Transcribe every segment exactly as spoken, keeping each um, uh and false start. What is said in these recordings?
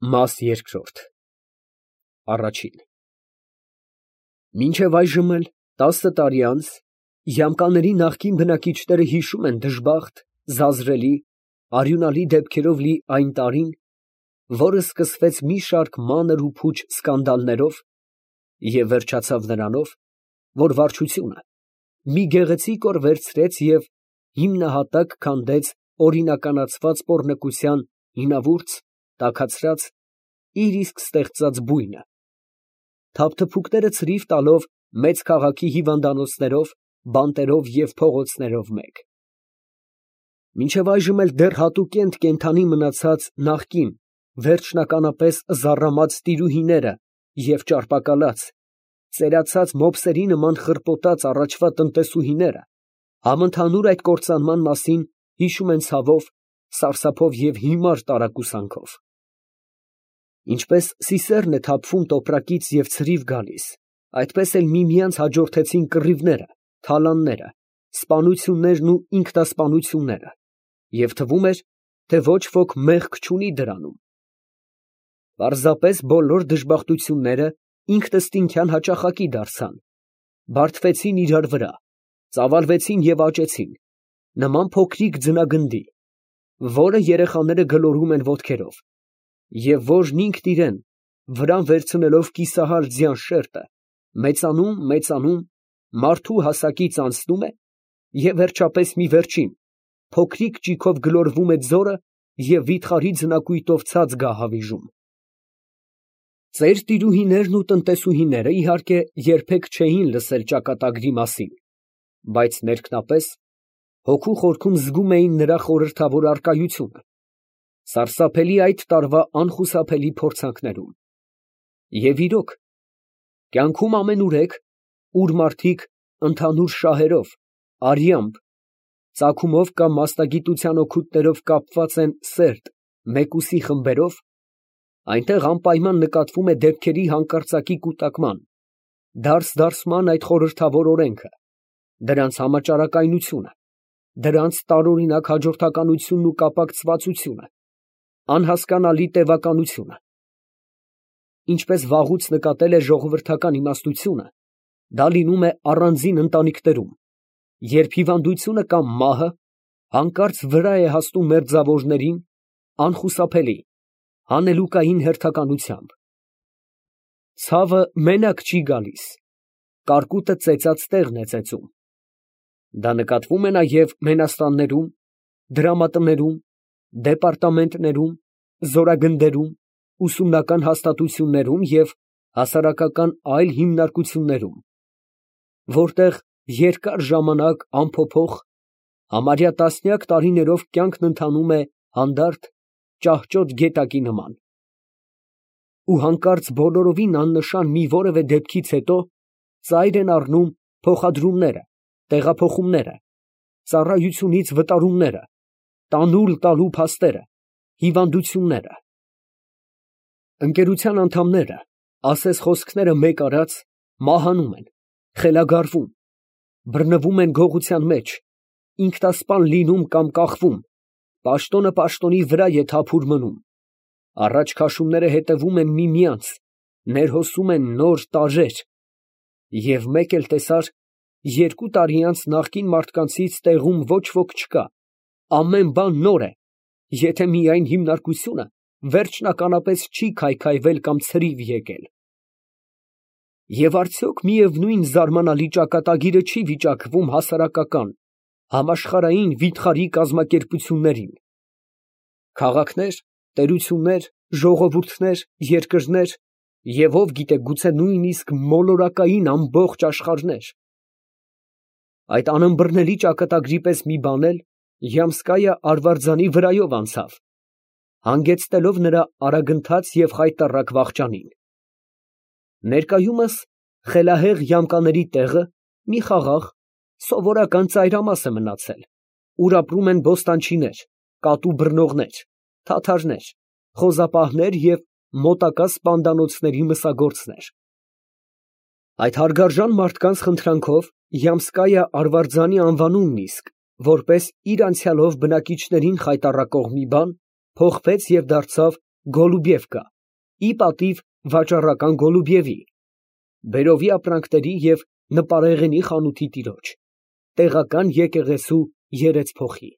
Մաս երկրորդ Մինչև այժմ էլ, տասը տարի անց, Յամկաների նախկին բնակիչները հիշում են դժբախտ, զազրելի, արյունալի դեպքերով լի այն տարին, որը սկսվեց մի շարք մանր ու փուչ սկանդալներով և վերջացավ նրանով, որ վարչությունը մի գեղեցիկ օր վերցրեց և հիմնահատակ քանդեց օրինականացված պոռնկության հինավուրց, տաքացրած, իր իսկ ստեղծած բույնը, թափթփուկները ցրիվ տալով մեծ քաղաքի հիվանդանոցներով, բանտերով և փողոցներով մեկ. Մինչև այժմ էլ դեռ հատուկենտ կենդանի մնացած նախկին, վերջնականապես զառամած տիրուհիները և ճարպակալած, ծերացած մոպսերի նման խրպոտած առաջվա տնտեսուհիները համընդհանուր այդ կործանման մասին հիշում են ցավով, սարսափով և հիմար տարակուսանքով. Ինչպես սիսեռն է թափվում տոպրակից և ցրիվ գալիս, այդպես էլ միմյանց հաջորդեցին կռիվները, թալանները, սպանություններն ու ինքնասպանությունները, և թվում էր, թե ոչ ոք մեղք չունի դրանում. պարզապես բոլոր դժբախտությունները ինքնըստինքյան հաճախակի դարձան, բարդվեցին իրար վրա, ծավալվեցին և աճեցին, նման փոքրիկ ձնագնդի, որը երեխաները գլորում են ոտքերով, և որն ինքն իրեն, վրան վերցնելով կիսահար ձյան շերտը, մեծանում, մեծանում, մարդու հասակից անցնում է և վերջապես մի վերջին, փոքրիկ ճիգով գլորվում է ձորը և վիթխարի ձնակույտով ցած գահավիժում։ Ծեր տիրուհիներն ու տնտեսուհիները, իհարկե, երբեք չէին լսել ճակատագրի մասին, բայց ներքնապես, հոգու խորքում զգում էին նրա խորհրդավոր առկայությունը, սարսափելի այդ տարվա անխուսափելի փորձանքներում։ Եվ իրոք, կյանքում ամենուրեք, ուր մարդիկ ընդհանուր շահերով, արյամբ, ծագումով կամ մասնագիտության օգուտներով կապված են սերտ, մեկուսի խմբերով, այնտեղ անպայման նկատվում է դեպքերի հանկարծակի կուտակման, դարս֊դարսման այդ խորհրդավոր օրենքը, դրանց համաճարակայնությունը, դրանց տարօրինակ հաջորդականությունն ու կապակցվածությունը, անհասկանալի տևականությունը։ Ինչպես վաղուց նկատել է ժողովրդական իմաստությունը, դա լինում է առանձին ընտանիքներում, երբ հիվանդությունը կամ մահը հանկարծ վրա է հասնում մերձավորներին, անխուսափելի, հանելուկային հերթականությամբ։ Ցավը մենակ չի գալիս, կարկուտը ծեծած տեղն է ծեծում։ Դա նկատվում է նաև մենաստաններում, դրամատներում, դեպարտամենտներում, զորագնդերում, ուսումնական հաստատություններում և հասարակական այլ հիմնարկություններում, որտեղ երկար ժամանակ անփոփոխ, համարյա տասնյակ տարիներով կյանքն ընթանում է հանդարտ, ճահճոտ գետակի նման։ Ու հանկարծ բոլորովին աննշան մի որևէ դեպքից հետո ծայր են առնում փոխադրումները, տեղափոխումները, ծառայությունից վտարումները, տանուլ տալու փաստերը, հիվանդությունները։ Ընկերության անդամները, ասես խոսքները մեկ արած, մահանում են, խելագարվում, բռնվում են գողության մեջ, ինքնասպան լինում կամ կախվում, պաշտոնը պաշտոնի վրա է թափուր մնում, առաջ քաշումները հետևում են միմյանց, ներհոսում են նոր տարրեր, և մեկ էլ տեսար, երկու տարի անց նախկին մարդկանցից տեղում ոչ ոք չկա, ամեն բան նոր է, եթե միայն հիմնարկությունը վերջնականապես չի քայքայվել կամ ցրիվ եկել։ Եվ արդյոք միևնույն զարմանալի ճակատագիրը չի վիճակվում հասարակական, համաշխարհային վիթխարի կազմակերպություններին։ Քաղաքներ, տերություններ, ժողովուրդներ, երկրներ և ով գիտե, գուցե նույնիսկ մոլորակային ամբողջ աշխարհներ։ Այդ անըմբռնելի ճակատագրի պես մի բան էլ Յամսկայա արվարձանի վրայով անցավ, հանգեցնելով նրա արագընթաց և խայտառակ վախճանին։ Ներկայումս խելահեղ յամկաների տեղը մի խաղաղ, սովորական ծայրամաս է մնացել, ուր ապրում են բոստանչիներ, կատու բռնողներ, թաթարներ, խոզապահներ և մոտակա սպանդանոցների մսագործներ։ Այդ հարգարժան մարդկանց խնդրանքով Յամսկայա արվարձանի անվանումն իսկ, որպես իր անցյալով բնակիչներին խայտառակող մի բան, փոխվեց և դարձավ Գոլուբևկա, ի պատիվ վաճառական Գոլուբևի, բերովի ապրանքների և նպարեղենի խանութի տիրոջ, տեղական եկեղեցու երեցփոխի։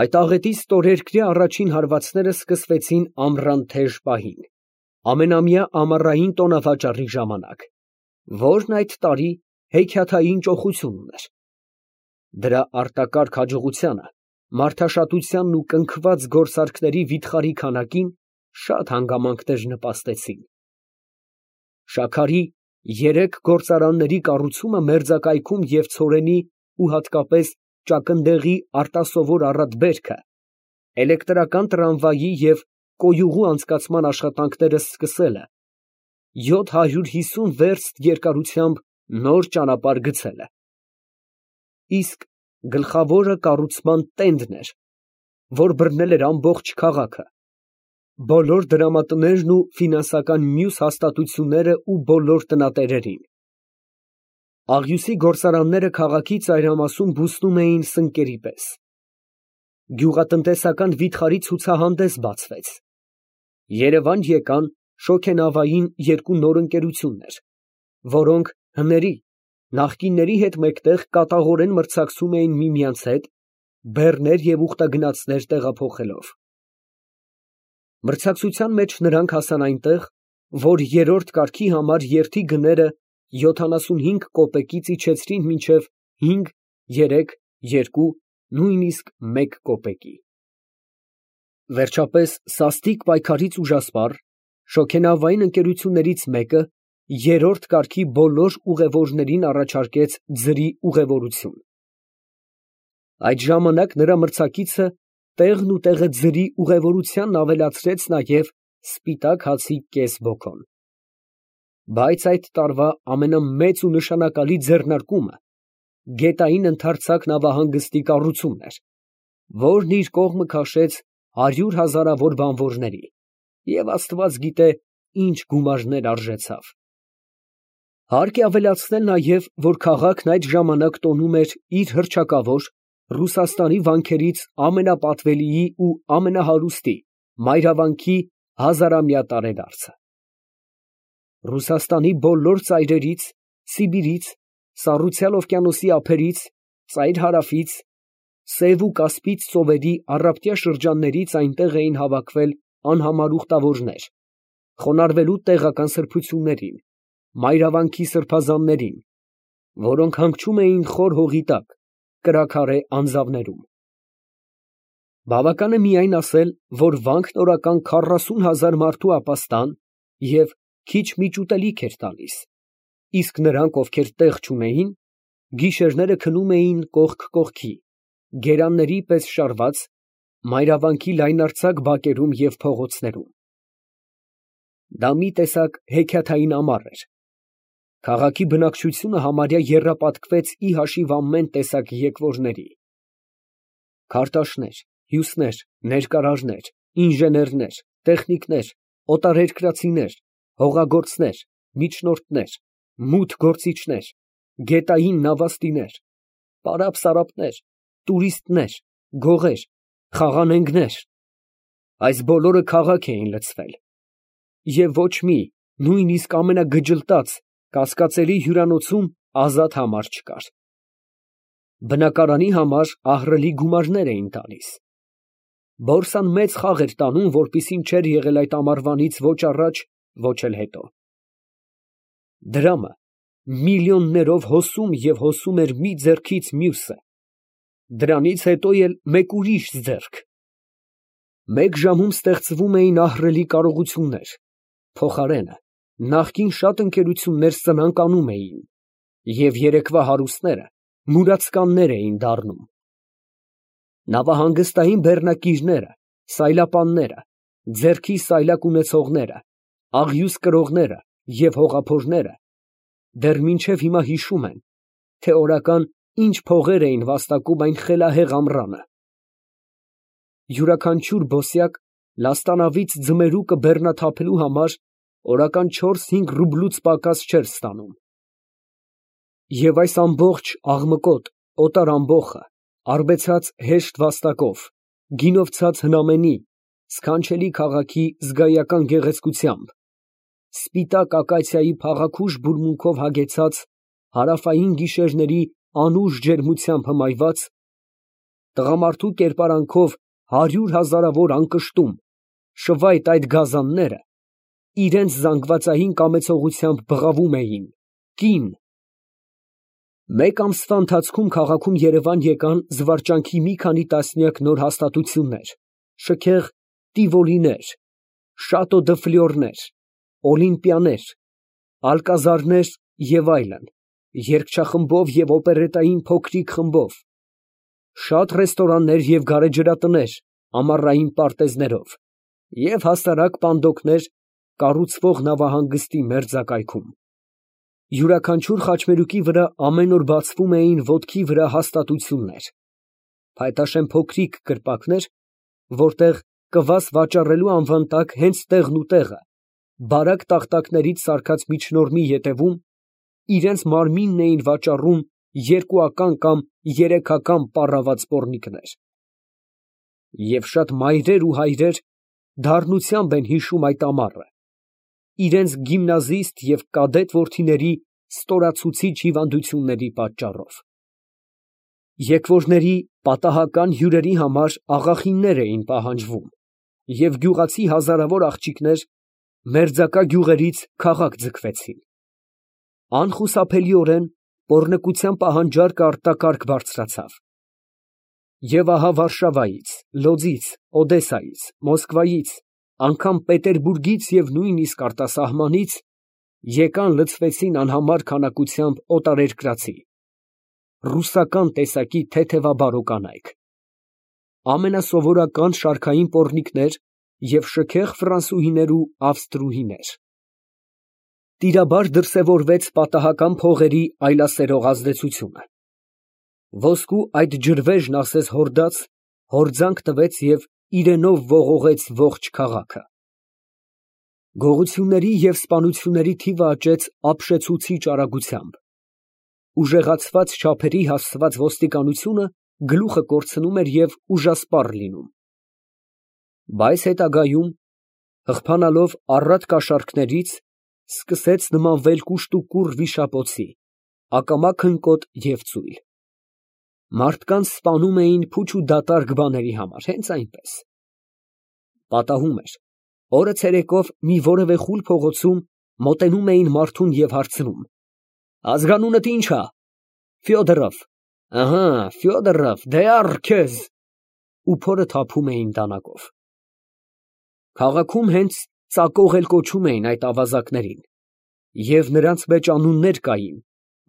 Այդ աղետի ստորերկրյա առաջին հարվածները սկսվեցին ամռան թեժ պահին, ամենամյա ամառային տոնավաճառի ժամանակ, որն այդ տարի հեքիաթային ճոխություն ուներ։ Դրա արտակարգ հաջողությանը, մարդաշատությանն ու կնքված գործարքների վիթխարի քանակին շատ հանգամանքներ նպաստեցին։ Շաքարի երեք գործարանների կառուցումը մերձակայքում և ցորենի ու հատկապես ճակնդեղի արտասովոր առատ բերքը, էլեկտրական տրամվայի և կոյուղու անցկացման աշխատանքները սկսելը, յոթ հարյուր հիսուն վերստ երկարությամբ նոր ճանապարհ գցելը, իսկ գլխավորը կառուցման տենդն էր, որ բռնել էր ամբողջ քաղաքը, բոլոր դրամատներն ու ֆինանսական մյուս հաստատությունները ու բոլոր տնատերերին։ Աղյուսի գործարանները քաղաքի ծայրամասում բուսնում էին սնկերի պես։ Գյուղատնտեսական վիթխարի ցուցահանդես բացվեց։ Երևան եկան շոգենավային երկու նոր ընկերություններ, որոնք հների, նախկինների հետ մեկտեղ կատաղորեն մրցակցում էին միմյանց հետ, բեռներ և ուխտագնացներ տեղափոխելով։ Մրցակցության մեջ նրանք հասան այնտեղ, որ երրորդ կարգի համար երթի գները յոթանասունհինգ կոպեկից իջեցրին մինչև հինգ, երեք, երկու, նույնիսկ մեկ կոպեկի։ Վերջապես, սաստիկ պայքարից ուժասպառ, շոգենավային ընկերություններից մեկը երրորդ կարգի բոլոր ուղևորներին առաջարկեց ձրի ուղևորություն։ Այդ ժամանակ նրա մրցակիցը տեղն ու տեղը ձրի ուղևորությանն ավելացրեց նաև սպիտակ հացի կես բոկոն։ Բայց այդ տարվա ամենամեծ ու նշանակալի ձեռնարկումը գետային ընդարձակ նավահանգստի կառուցումն էր, որն իր կողմը քաշեց հարյուր հազարավոր բանվորների և աստված գիտե ինչ գումարներ արժեցավ։ Հարկ է ավելացնել նաև, որ քաղաքն այդ ժամանակ տոնում էր իր հռչակավոր, Ռուսաստանի վանքերից ամենապատվելիի ու ամենահարուստի Մայրավանքի հազարամյա տարեդարձը։ Ռուսաստանի բոլոր ծայրերից, Սիբիրից, Սառուցյալ օվկիանոսի ափերից, Ծայր֊Հարավից, Սև ու Կասպից ծովերի առապտյա շրջաններից այնտեղ էին հավաքվել անհամար ուխտավորներ, խոնարհվելու տեղական սրբություններին, Մայրավանքի սրբազաններին, որոնք հանգչում էին խոր հողի տակ, կրաքարե անձավներում։ Բավական է միայն ասել, որ վանքն օրական քառասուն հազար մարդու ապաստան և քիչ֊միչ ուտելիք էր տալիս, իսկ նրանք, ովքեր տեղ չունեին, գիշերները քնում էին կողք կողքի, գերանների պես շարված, Մայրավանքի լայնարձակ բակերում և փողոցներում։ Դա մի տեսակ հեքիաթային ամառ էր։ Քաղաքի բնակչությունը համարյա եռապատկվեց ի հաշիվ ամեն տեսակ եկվորների։ Քարտաշներ, հյուսներ, ներկարարներ, ինժեներներ, տեխնիկներ, օտարերկրացիներ, հողագործներ, միջնորդներ, մութ գործիչներ, գետային նավաստիներ, պարապ֊սարապներ, տուրիստներ, գողեր, խաղանենգներ, այս բոլորը քաղաք էին լցվել, և ոչ մի, նույնիսկ ամենագջլտած, կասկածելի հյուրանոցում ազատ համար չկար։ Բնակարանի համար ահռելի գումարներ էին տալիս։ Բորսան մեծ խաղ էր տանում, որպիսին չէր եղել այդ ամառվանից ոչ առաջ, ոչ էլ հետո։ Դրամը միլիոններով հոսում և հոսում էր մի ձեռքից մյուսը, դրանից հետո էլ մեկ ուրիշ ձեռք։ Մեկ ժամում ստեղծվում էին ահռելի կարողություններ, փոխարենը նախկին շատ ընկերություններ սնանկ անում էին, և երեկվա հարուստները մուրացկաններ էին դառնում։ Նավահանգստային բեռնակիրները, սայլապանները, ձեռքի սայլակ ունեցողները, աղյուս կրողները և հողափորները դեռ մինչև հիմա հիշում են, թե օրական ինչ փողեր էին վաստակում այն խելահեղ ամռանը։ Յուրաքանչյուր բոսյակ լաստանավից ձմերուկը բեռնաթափելու համար օրական չորս֊հինգ ռուբլուց պակաս չէր ստանում։ Եվ այս ամբողջ աղմկոտ, օտար ամբոխը, արբեցած հեշտ վաստակով, գինովցած հնամենի, սքանչելի քաղաքի զգայական գեղեցկությամբ, սպիտակ ակացիայի փաղաքուշ բուրմունքով հագեցած, հարավային գիշերների անուշ ջերմությամբ հմայված, տղամարդու կերպարանքով հարյուր հազարավոր անկշտում, շվայտ այդ գազանները իրենց զանգվածային կամեցողությամբ բղավում էին. կին։ Մեկ ամսվա ընթացքում քաղաքում երևան եկան զվարճանքի մի քանի տասնյակ նոր հաստատություններ, շքեղ տիվոլիներ, շատո դը ֆլյորներ, օլիմպիաներ, ալկազարներ և այլն, երգչախմբով և օպերետային փոքրիկ խմբով, շատ ռեստորաններ և գարեջրատներ ամառային պարտեզներով և հասարակ պանդոկներ կառուցվող նավահանգստի մերձակայքում։ Յուրաքանչյուր խաչմերուկի վրա ամեն օր բացվում էին ոտքի վրա հաստատություններ, փայտաշեն փոքրիկ կրպակներ, որտեղ կվաս վաճառելու անվան տակ հենց տեղն ու տեղը, բարակ տախտակներից սարքած միջնորմի ետևում, իրենց մարմինն էին վաճառում երկուական կամ երեքական պառաված պոռնիկներ։ Եվ շատ մայրեր ու հայրեր դառնությամբ են հիշում այդ ամառը, իրենց գիմնազիստ և կադետ որդիների ստորացուցիչ հիվանդությունների պատճառով։ Եկվորների պատահական հյուրերի համար աղախիններ էին պահանջվում, և գյուղացի հազարավոր աղջիկներ մերձակա գյուղերից քաղաք ձգվեցին։ Անխուսափելիորեն պոռնկության պահանջարկը արտակարգ բարձրացավ։ Եվ ահա Վարշավայից, Լոձից, Օդեսայից, Մոսկվայից, անգամ Պետերբուրգից և նույնիսկ արտասահմանից եկան լցվեցին անհամար քանակությամբ օտարերկրացի, ռուսական տեսակի թեթևաբարո կանայք, ամենասովորական շարքային պոռնիկներ և շքեղ ֆրանսուհիներ ու ավստրուհիներ։ Տիրաբար դրսևորվեց պատահական փողերի այլասերող ազդեցությունը։ Ոսկու այդ ջրվեժն ասես հորդաց, հորձանք տվեց և իրենով ողողեց ողջ քաղաքը։ Գողությունների և սպանությունների թիվը աճեց ապշեցուցիչ արագությամբ։ Ուժեղացված չափերի հասցված ոստիկանությունը գլուխը կորցնում էր և ուժասպառ լինում։ Բայց հետագայում, հղբանալով առատ կաշառքներից, սկսեց նմանվել կուշտուկուռ վիշապոցի, ակամա քնկոտ և ծույլ։ Մարդկանց սպանում էին փուչ ու դատարկ բաների համար, հենց այնպես։ Պատահում էր, օրը ցերեկով մի որևէ խուլ փողոցում մոտենում էին մարդուն և հարցնում. «Ազգանունդ ի՞նչ ա»։ «Ֆյոդորով»։ «Ըհը, Ֆյոդորով, դե առ քեզ»։ Ու փորը թափում էին դանակով։ Քաղաքում հենց ծակող էլ կոչում էին այդ ավազակներին, և նրանց մեջ անուններ կային,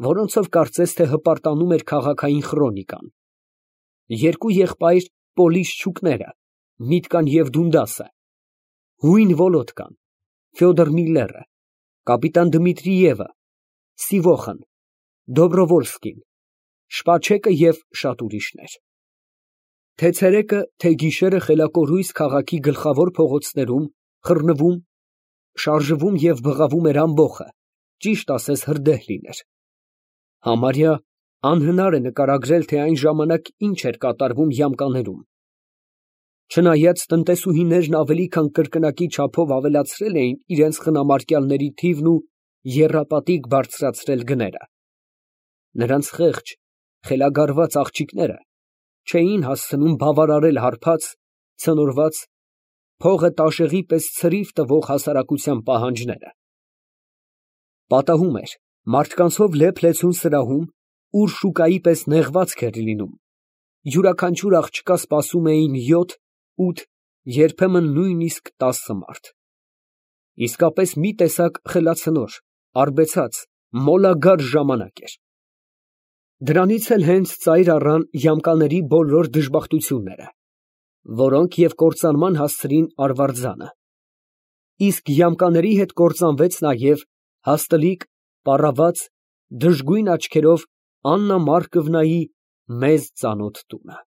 որոնցով կարծես թե հպարտանում էր քաղաքային խրոնիկան։ Երկու եղբայր Պոլիշչուկները, Միտկան և Դունդասը, հույն Վոլոդկան, Ֆյոդոր Միլլերը, կապիտան Դմիտրիևը, Սիվոխն, Դոբրովոլսկին, Շպաչեկը և շատ ուրիշներ։ Թե՛ ցերեկը, թե՛ գիշերը խելակորույս քաղաքի գլխավոր փողոցներում խռնվում, շարժվում և բղավում էր ամբոխը, ճիշտ ասես հրդեհ լիներ։ Համարյա անհնար է նկարագրել, թե այն ժամանակ ինչ էր կատարվում յամկաներում։ Չնայած տնտեսուհիներն ավելի քան կրկնակի չափով ավելացրել էին իրենց խնամարկյալների թիվն ու եռապատիկ բարձրացրել գները, նրանց խեղճ, խելագարված աղջիկները չէին հասցնում բավարարել հարբած, ցնորված, փողը տաշեղի պես ցրիվ տվող հասարակության պահանջները։ Պատահում էր, մարդկանցով լեփ֊լեցուն սրահում, ուր շուկայի պես նեղվածք էր լինում, յուրաքանչյուր աղջկա սպասում էին յոթ, ութ, երբեմն նույնիսկ տասը մարդ։ Իսկապես մի տեսակ խելացնոր, արբեցած, մոլագար ժամանակ էր։ Դրանից էլ հենց ծայր առան յամկաների բոլոր դժբախտությունները, որոնք և կործանման հասցրին արվարձանը։ Իսկ յամկաների հետ կործանվեց նաև հաստլիկ, պառաված, դժգույն աչքերով Աննա Մարկովնայի մեզ ծանոթ տունը։